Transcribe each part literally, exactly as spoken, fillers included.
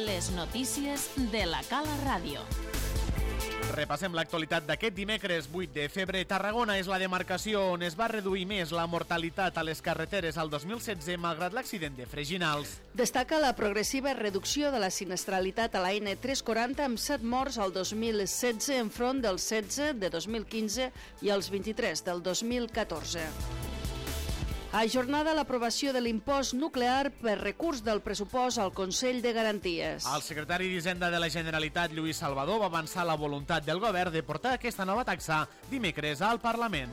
Les notícies de la Cala Ràdio. Repassem l'actualitat d'aquest dimecres vuit de febrer. Tarragona és la demarcació on es va reduir més la mortalitat a les carreteres al dos mil setze malgrat l'accident de Freginals. Destaca la progressiva reducció de la sinistralitat a la ene tres quaranta amb set morts al dos mil setze enfront dels setze de dos mil quinze i els vint-i-tres del dos mil catorze. Ajornada l'aprovació de l'impost nuclear per recurs del pressupost al Consell de Garanties. El secretari d'Hisenda de la Generalitat, Lluís Salvador, va avançar la voluntat del govern de portar aquesta nova taxa dimecres al Parlament.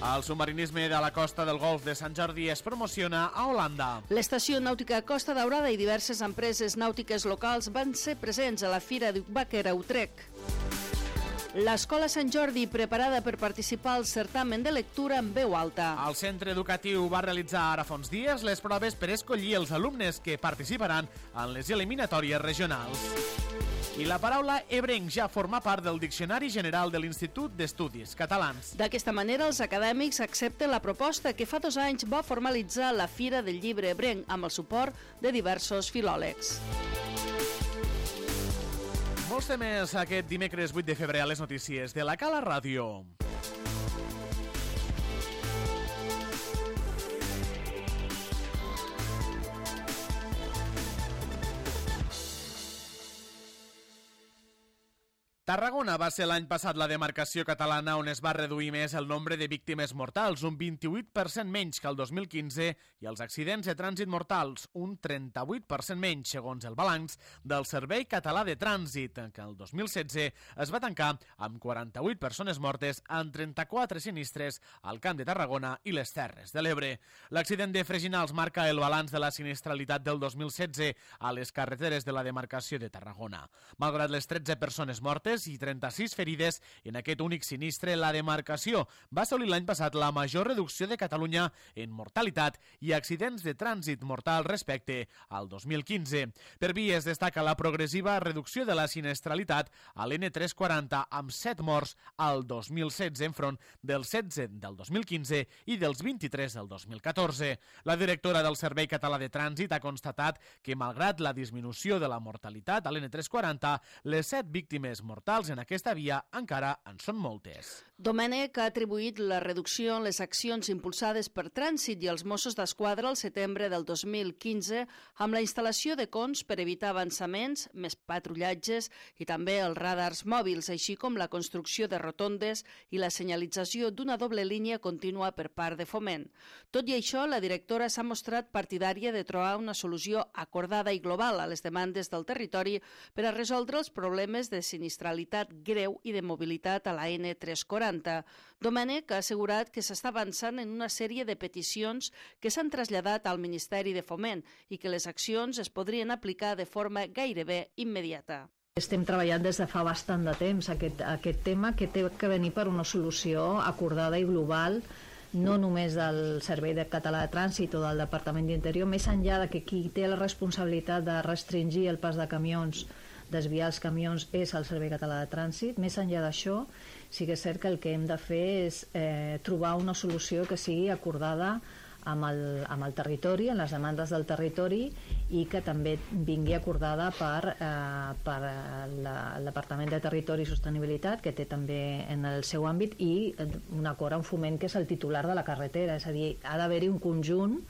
El submarinisme de la costa del Golf de Sant Jordi es promociona a Holanda. L'estació nàutica Costa Daurada i diverses empreses nàutiques locals van ser presents a la Fira d'Ucbàquer a Utrecht. L'Escola Sant Jordi, preparada per participar al certamen de lectura en veu alta. El centre educatiu va realitzar ara fa uns dies les proves per escollir els alumnes que participaran en les eliminatòries regionals. I la paraula ebrenc ja forma part del Diccionari General de l'Institut d'Estudis Catalans. D'aquesta manera, els acadèmics accepten la proposta que fa dos anys va formalitzar la Fira del Llibre Ebrenc amb el suport de diversos filòlegs. Molts temes aquest dimecres vuit de febrer a les notícies de la Cala Ràdio. Tarragona va ser l'any passat la demarcació catalana on es va reduir més el nombre de víctimes mortals, un vint-i-vuit per cent menys que el dos mil quinze, i els accidents de trànsit mortals, un trenta-vuit per cent menys, segons el balanç del Servei Català de Trànsit, que el dos mil setze es va tancar amb quaranta-vuit persones mortes en trenta-quatre sinistres al Camp de Tarragona i les Terres de l'Ebre. L'accident de Freginals marca el balanç de la sinistralitat del dos mil setze a les carreteres de la demarcació de Tarragona. Malgrat les tretze persones mortes i trenta-sis ferides en aquest únic sinistre, la demarcació va assolir l'any passat la major reducció de Catalunya en mortalitat i accidents de trànsit mortal respecte al dos mil quinze. Per vi es destaca la progressiva reducció de la sinistralitat a l'ene tres quaranta amb set morts al dos mil setze enfront dels setze del dos mil quinze i dels vint-i-tres del dos mil catorze. La directora del Servei Català de Trànsit ha constatat que malgrat la disminució de la mortalitat a l'ene tres quaranta, les set víctimes mortals en aquesta via encara en són moltes. Domènech ha atribuït la reducció en les accions impulsades per Trànsit i els Mossos d'Esquadra al setembre del dos mil quinze amb la instal·lació de cons per evitar avançaments, més patrullatges i també els radars mòbils, així com la construcció de rotondes i la senyalització d'una doble línia contínua per part de Foment. Tot i això, la directora s'ha mostrat partidària de trobar una solució acordada i global a les demandes del territori per a resoldre els problemes de sinistralitat greu i de mobilitat a la ene tres quaranta. Domènech ha assegurat que s'està avançant en una sèrie de peticions que s'han traslladat al Ministeri de Foment i que les accions es podrien aplicar de forma gairebé immediata. Estem treballant des de fa bastant de temps aquest, aquest tema que té que venir per una solució acordada i global, no només del Servei Català de Trànsit o del Departament d'Interior, més enllà de que qui té la responsabilitat de restringir el pas de camions, desviar els camions, és el Servei Català de Trànsit. Més enllà d'això, sí que és cert que el que hem de fer és eh, trobar una solució que sigui acordada amb el, amb el territori, en les demandes del territori, i que també vingui acordada per, eh, per la, el Departament de Territori i Sostenibilitat, que té també en el seu àmbit, i un acord amb Foment, que és el titular de la carretera. És a dir, ha d'haver-hi un conjunt,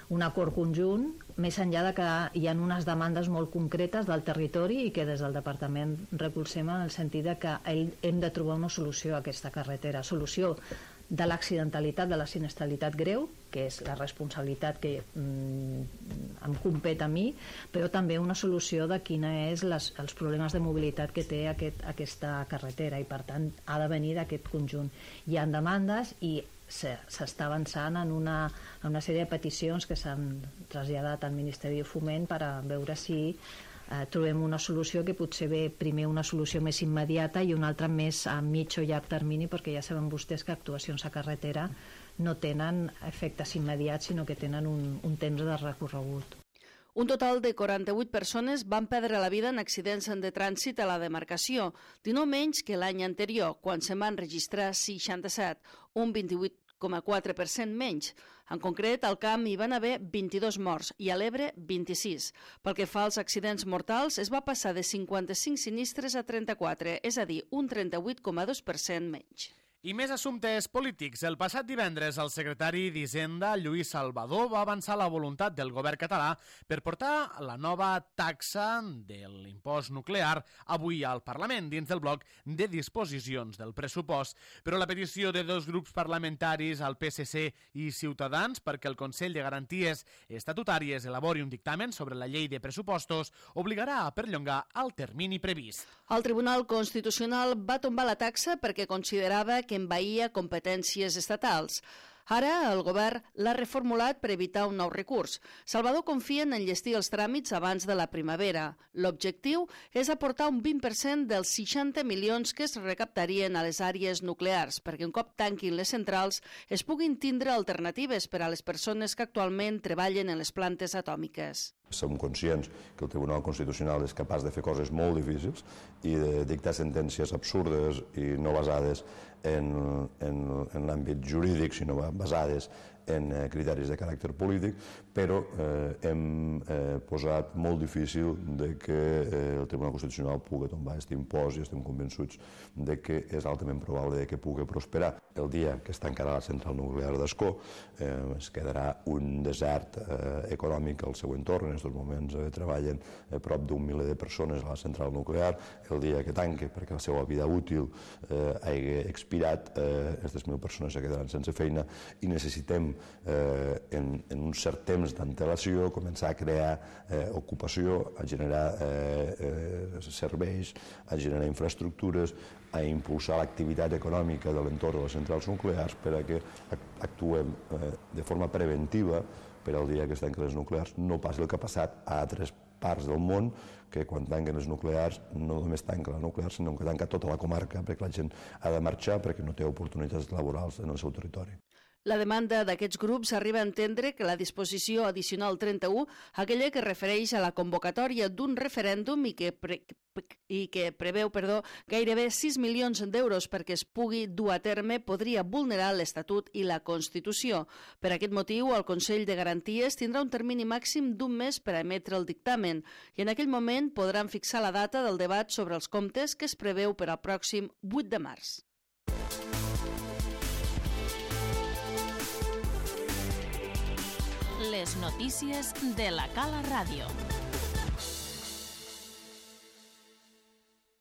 un acord conjunt, més enllà de que hi ha unes demandes molt concretes del territori i que des del departament recolzem en el sentit de que hem de trobar una solució a aquesta carretera. Solució de l'accidentalitat, de la sinistralitat greu, que és la responsabilitat que mm, em compet a mi, però també una solució de quina és les, els problemes de mobilitat que té aquest, aquesta carretera, i per tant ha de venir d'aquest conjunt. Hi ha demandes i s'està avançant en una, en una sèrie de peticions que s'han traslladat al Ministeri de Foment per a veure si eh, trobem una solució que potser ve primer una solució més immediata i una altra més a mig o llarg termini, perquè ja saben vostès que actuacions a carretera no tenen efectes immediats, sinó que tenen un, un temps de recorregut. Un total de quaranta-vuit persones van perdre la vida en accidents de trànsit a la demarcació, dinou menys que l'any anterior, quan se'n van registrar seixanta-set, un vint-i-vuit coma quatre per cent menys. En concret, al camp hi van haver vint-i-dos morts i a l'Ebre vint-i-sis. Pel que fa als accidents mortals, es va passar de cinquanta-cinc sinistres a trenta-quatre, és a dir, un trenta-vuit coma dos per cent menys. I més assumptes polítics. El passat divendres, el secretari d'Hisenda, Lluís Salvador, va avançar la voluntat del govern català per portar la nova taxa de l'impost nuclear avui al Parlament, dins del bloc de disposicions del pressupost. Però la petició de dos grups parlamentaris, el P S C i Ciutadans, perquè el Consell de Garanties Estatutàries elabori un dictamen sobre la llei de pressupostos, obligarà a perllongar el termini previst. El Tribunal Constitucional va tombar la taxa perquè considerava que envaïa competències estatals. Ara el govern l'ha reformulat per evitar un nou recurs. Salvador confia en enllestir els tràmits abans de la primavera. L'objectiu és aportar un vint per cent dels seixanta milions que es recaptarien a les àrees nuclears, perquè un cop tanquin les centrals es puguin tindre alternatives per a les persones que actualment treballen en les plantes atòmiques. Som conscients que el Tribunal Constitucional és capaç de fer coses molt difícils i de dictar sentències absurdes i no basades en, en, en l'àmbit jurídic, sinó basades en criteris de caràcter polític, però eh, hem eh, posat molt difícil de que eh, el Tribunal Constitucional pugui tombar aquest impost i estem convençuts de que és altament probable de que pugui prosperar. El dia que es tancarà la central nuclear d'Ascó eh, es quedarà un desert eh, econòmic al seu entorn. En aquests moments eh, treballen eh, prop d'un miler de persones a la central nuclear. El dia que tanque, perquè la seva vida útil eh, hagi expirat, eh, aquestes mil persones se quedaran sense feina i necessitem Eh, en, en un cert temps d'antelació començar a crear eh, ocupació, a generar eh, eh, serveis, a generar infraestructures, a impulsar l'activitat econòmica de l'entorn de les centrals nuclears per a que actuem eh, de forma preventiva per al dia que es tanquen les nuclears. No passi el que ha passat a altres parts del món, que quan tanquen les nuclears no només tanca la nuclear, sinó que tanca tota la comarca perquè la gent ha de marxar perquè no té oportunitats laborals en el seu territori. La demanda d'aquests grups arriba a entendre que la disposició addicional trenta-u, aquella que refereix a la convocatòria d'un referèndum i que, pre i que preveu perdó, gairebé sis milions d'euros perquè es pugui dur a terme, podria vulnerar l'Estatut i la Constitució. Per aquest motiu, el Consell de Garanties tindrà un termini màxim d'un mes per a emetre el dictamen i en aquell moment podran fixar la data del debat sobre els comptes que es preveu per al pròxim vuit de març. Les notícies de la Cala Ràdio.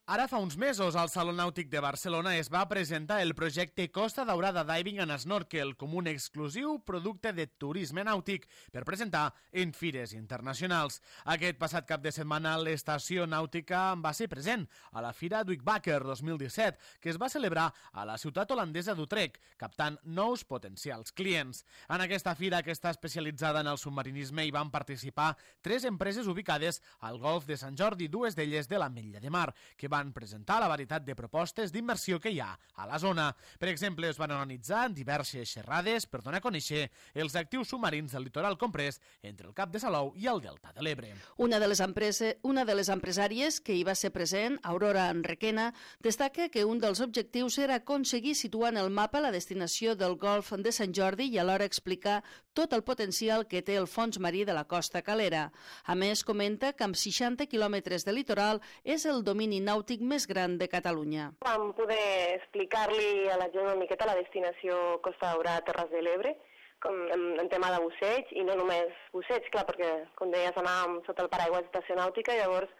Ara fa uns mesos al Saló Nàutic de Barcelona es va presentar el projecte Costa Daurada Diving and Snorkel com un exclusiu producte de turisme nàutic per presentar en fires internacionals. Aquest passat cap de setmana l'estació nàutica va ser present a la Fira Duikbaker dos mil disset, que es va celebrar a la ciutat holandesa d'Utrecht, captant nous potencials clients. En aquesta fira, que està especialitzada en el submarinisme, hi van participar tres empreses ubicades al Golf de Sant Jordi, dues d'elles de l'Ametlla de Mar, que van van presentar la varietat de propostes d'inversió que hi ha a la zona. Per exemple, es van organitzar diverses xerrades per donar a conèixer els actius submarins del litoral comprès entre el Cap de Salou i el Delta de l'Ebre. Una de les empreses, una de les empresàries que hi va ser present, Aurora Enriquena, destaca que un dels objectius era aconseguir situar en el mapa la destinació del Golf de Sant Jordi i alhora explicar tot el potencial que té el fons marí de la costa calera. A més, comenta que amb seixanta quilòmetres de litoral és el domini nàutic més gran de Catalunya. Vam poder explicar-li a la gent una miqueta la destinació Costa Daurada, Terres de l'Ebre, com en, en tema de busseig, i no només busseig, clar, perquè, com deies, anàvem sota el paraigua d'estació nàutica, llavors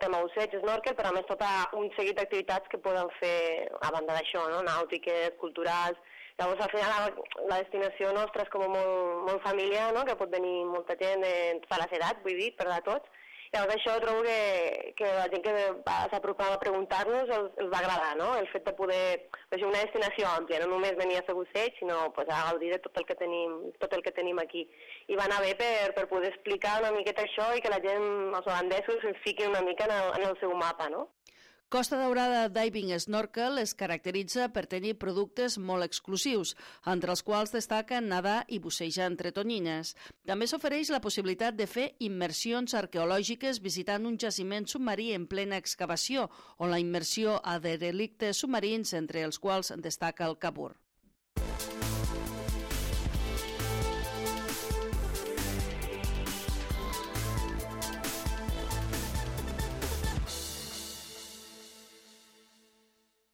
tema busseig, snorkel, però a més tot un seguit d'activitats que poden fer a banda d'això, no? Nàutiques, culturals. Llavors, al final, la destinació nostra és com molt, molt familiar, no? Que pot venir molta gent de totes les edats, vull dir, per a tots. Llavors això trobo que, que la gent que s'apropava a preguntar-nos els, els va agradar, no? El fet de poder fer una destinació àmplia, no només venir a fer busseig, sinó pues, a gaudir de tot el que tenim, tot el que tenim aquí. I va anar bé per, per poder explicar una miqueta això i que la gent, els holandesos, es fiquin una mica en el, en el seu mapa, no? Costa Daurada Diving Snorkel es caracteritza per tenir productes molt exclusius, entre els quals destaquen nedar i bussejar entre tonyines. També s'ofereix la possibilitat de fer immersions arqueològiques visitant un jaciment submarí en plena excavació, on la immersió a derelictes submarins, entre els quals destaca el Cabur.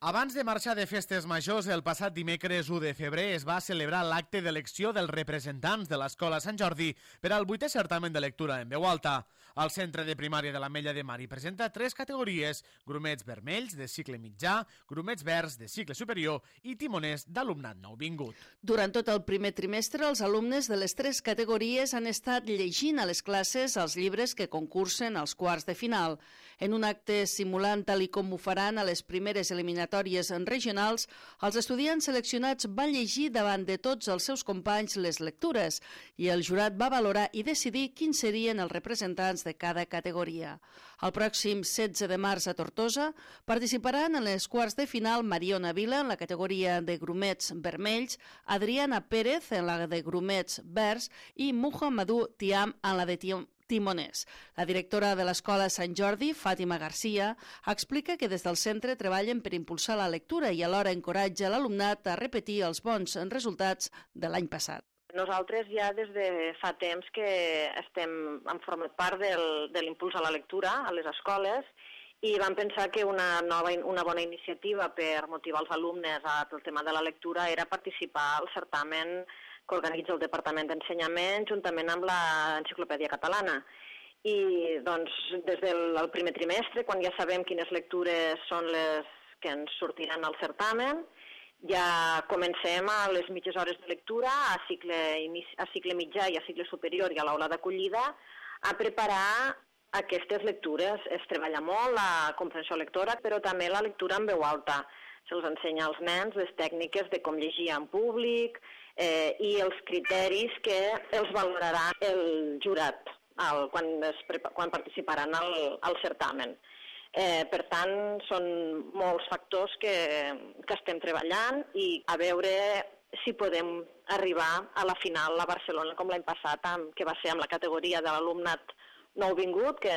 Abans de marxar de festes majors, el passat dimecres u de febrer es va celebrar l'acte d'elecció dels representants de l'Escola Sant Jordi per al vuitè certamen de lectura en veu alta. El centre de primària de l'Ametlla de Mar hi presenta tres categories: grumets vermells de cicle mitjà, grumets verds de cicle superior i timoners d'alumnat nouvingut. Durant tot el primer trimestre, els alumnes de les tres categories han estat llegint a les classes els llibres que concursen als quarts de final. En un acte simulant tal i com ho faran a les primeres eliminatòries regionals, els estudiants seleccionats van llegir davant de tots els seus companys les lectures i el jurat va valorar i decidir quins serien els representants de cada categoria. El pròxim setze de març a Tortosa participaran en les quarts de final Mariona Vila en la categoria de grumets vermells, Adriana Pérez en la de grumets verds i Muhammadu Tiam en la de Tiam timoners. La directora de l'Escola Sant Jordi, Fàtima Garcia, explica que des del centre treballen per impulsar la lectura i alhora encoratja l'alumnat a repetir els bons resultats de l'any passat. Nosaltres ja des de fa temps que estem en format part del, de l'impuls a la lectura a les escoles i vam pensar que una, nova, una bona iniciativa per motivar els alumnes al tema de la lectura era participar al certamen que organitza el Departament d'Ensenyament juntament amb l'Enciclopèdia Catalana. I doncs, des del primer trimestre, quan ja sabem quines lectures són les que ens sortiran al certamen, ja comencem a les mitges hores de lectura, a cicle, a cicle mitjà i a cicle superior i a l'aula d'acollida, a preparar aquestes lectures. Es treballa molt la comprensió lectora, però també la lectura en veu alta. Se'ls ensenya als nens les tècniques de com llegir en públic, Eh, i els criteris que els valorarà el jurat el, quan, es, quan participaran al, al certamen. Eh, per tant, són molts factors que, que estem treballant i a veure si podem arribar a la final a Barcelona com l'any passat, amb, que va ser amb la categoria de l'alumnat nouvingut, que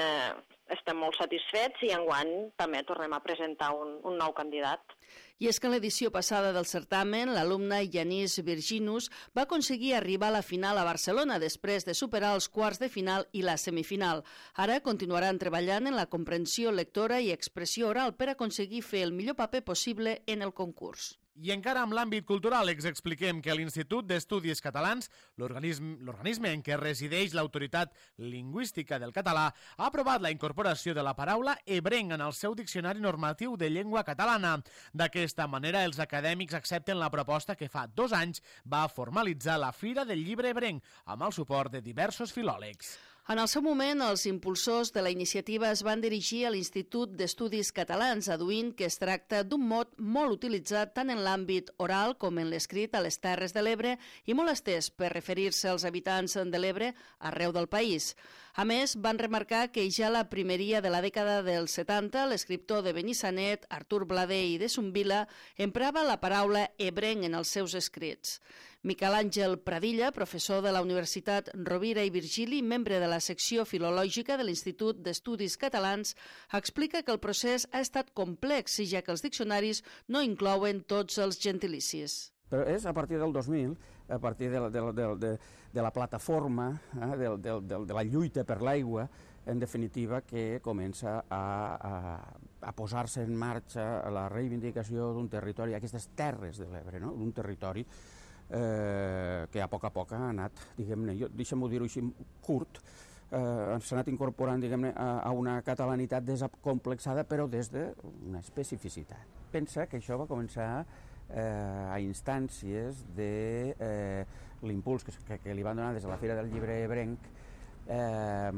estem molt satisfets i enguany també tornem a presentar un, un nou candidat. I és que en l'edició passada del certamen, l'alumna Yanis Virginus va aconseguir arribar a la final a Barcelona després de superar els quarts de final i la semifinal. Ara continuaran treballant en la comprensió lectora i expressió oral per aconseguir fer el millor paper possible en el concurs. I encara amb l'àmbit cultural ens expliquem que l'Institut d'Estudis Catalans, l'organisme en què resideix l'autoritat lingüística del català, ha aprovat la incorporació de la paraula ebrenc en el seu diccionari normatiu de llengua catalana. D'aquesta manera, els acadèmics accepten la proposta que fa dos anys va formalitzar la Fira del Llibre Ebrenc, amb el suport de diversos filòlegs. En el seu moment, els impulsors de la iniciativa es van dirigir a l'Institut d'Estudis Catalans, aduint que es tracta d'un mot molt utilitzat tant en l'àmbit oral com en l'escrit a les Terres de l'Ebre i molt estès per referir-se als habitants de l'Ebre arreu del país. A més, van remarcar que ja la primeria de la dècada dels setanta, l'escriptor de Benissanet, Artur Blader i de Zumbila, emprava la paraula ebrenc en els seus escrits. Miquel Àngel Pradilla, professor de la Universitat Rovira i Virgili, membre de la secció filològica de l'Institut d'Estudis Catalans, explica que el procés ha estat complex, ja que els diccionaris no inclouen tots els gentilicis. Però és a partir del dos mil, a partir de la, de la, de, de, de la plataforma, eh, de, de, de, de la lluita per l'aigua, en definitiva, que comença a, a, a posar-se en marxa la reivindicació d'un territori, aquestes terres de l'Ebre, no? Un territori eh, que a poc a poc ha anat, diguem-ne, deixem-ho dir-ho així, curt, eh, s'ha anat incorporant, diguem-ne, a, a una catalanitat desacomplexada, però des d'una especificitat. Pensa que això va començar eh, a instàncies de eh, l'impuls que, que, que li van donar des de la Fira del Llibre Ebrenc, eh,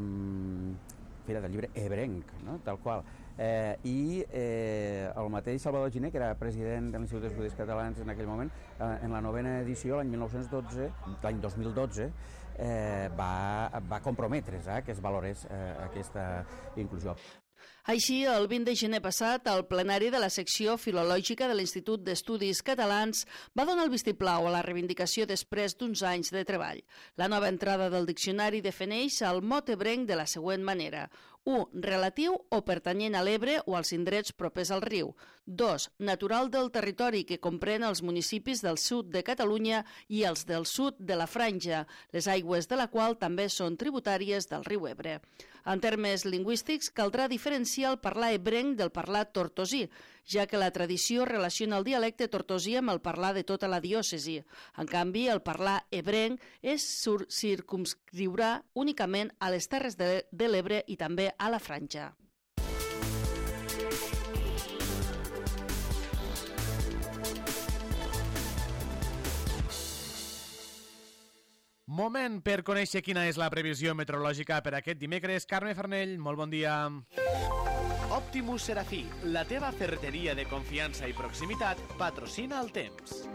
Fira del Llibre Ebrenc, no? Tal qual. Eh, I eh, el mateix Salvador Giner, que era president de l'Institut d'Estudis Catalans en aquell moment, eh, en la novena edició, l'any mil nou-cents dotze, l'any dos mil dotze, eh, va, va comprometre's eh, que es valorés eh, aquesta inclusió. Així, el vint de gener passat, el plenari de la secció filològica de l'Institut d'Estudis Catalans va donar el vistiplau a la reivindicació després d'uns anys de treball. La nova entrada del diccionari defineix el mot ebrenc de la següent manera: u. Relatiu o pertanyent a l'Ebre o als indrets propers al riu. dos. Natural del territori que comprèn els municipis del sud de Catalunya i els del sud de la Franja, les aigües de la qual també són tributàries del riu Ebre. En termes lingüístics, caldrà diferenciar el parlar ebrenc del parlar tortosí, ja que la tradició relaciona el dialecte tortosí amb el parlar de tota la diòcesi. En canvi, el parlar ebrenc es circumscriurà únicament a les Terres de, de l'Ebre i també a la Franja. Moment per conèixer quina és la previsió meteorològica per aquest dimecres. Carme Farnell, molt bon dia. Optimus Serafí, la teva ferreteria de confiança i proximitat, patrocina el temps.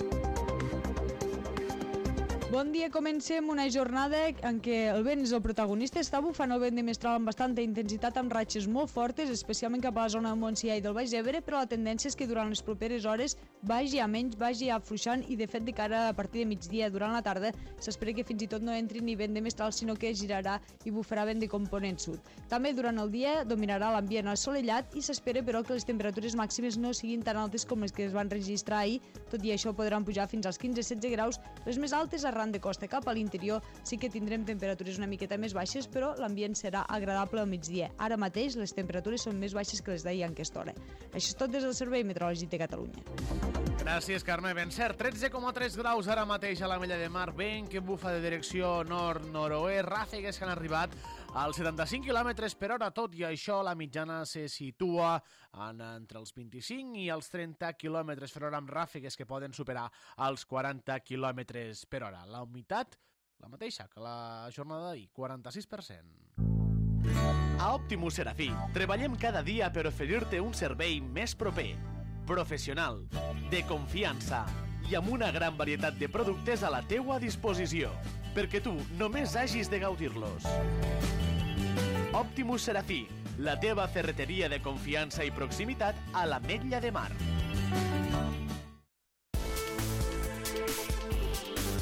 Bon dia, comencem una jornada en què el vent és el protagonista. Està bufant el vent de mestral amb bastanta intensitat, amb ratxes molt fortes, especialment cap a la zona de Montsià i del Baix Ebre, però la tendència és que durant les properes hores vagi a menys, vagi afluixant i, de fet, de cara a partir de migdia durant la tarda, s'espera que fins i tot no entri ni vent de mestral, sinó que girarà i bufarà vent de component sud. També durant el dia dominarà l'ambient assolellat i s'espera, però, que les temperatures màximes no siguin tan altes com les que es van registrar ahir. Tot i això, podran pujar fins als quinze a setze graus. Les més altes arran de costa cap a l'interior sí que tindrem temperatures una miqueta més baixes, però l'ambient serà agradable al migdia. Ara mateix les temperatures són més baixes que les d'ahir en aquesta hora. Això és tot des del Servei Meteorològic de Catalunya. Gràcies, Carme. Ben cert, tretze coma tres graus ara mateix a la Mella de Mar, vent que bufa de direcció nord-noroest, ràfegues que han arribat als setanta-cinc quilòmetres per hora. Tot i això, la mitjana se situa en, entre els vint-i-cinc i els trenta quilòmetres per hora, amb ràfegues que poden superar els quaranta quilòmetres per hora. La humitat, la mateixa que la jornada d'ahir, quaranta-sis per cent. A Optimus Serafí, treballem cada dia per oferir-te un servei més proper, professional, de confiança i amb una gran varietat de productes a la teua disposició, perquè tu només hagis de gaudir-los. Optimus Serafí, la teva ferreteria de confiança i proximitat a l'Ametlla de Mar.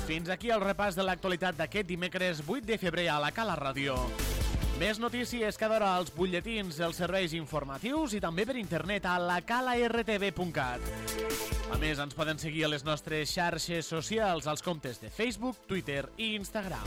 Fins aquí el repàs de l'actualitat d'aquest dimecres vuit de febrer a la Cala Ràdio. Més notícies cada hora als butlletins dels serveis informatius i també per internet a la cala r t v punt cat. A més, ens poden seguir a les nostres xarxes socials, als comptes de Facebook, Twitter i Instagram.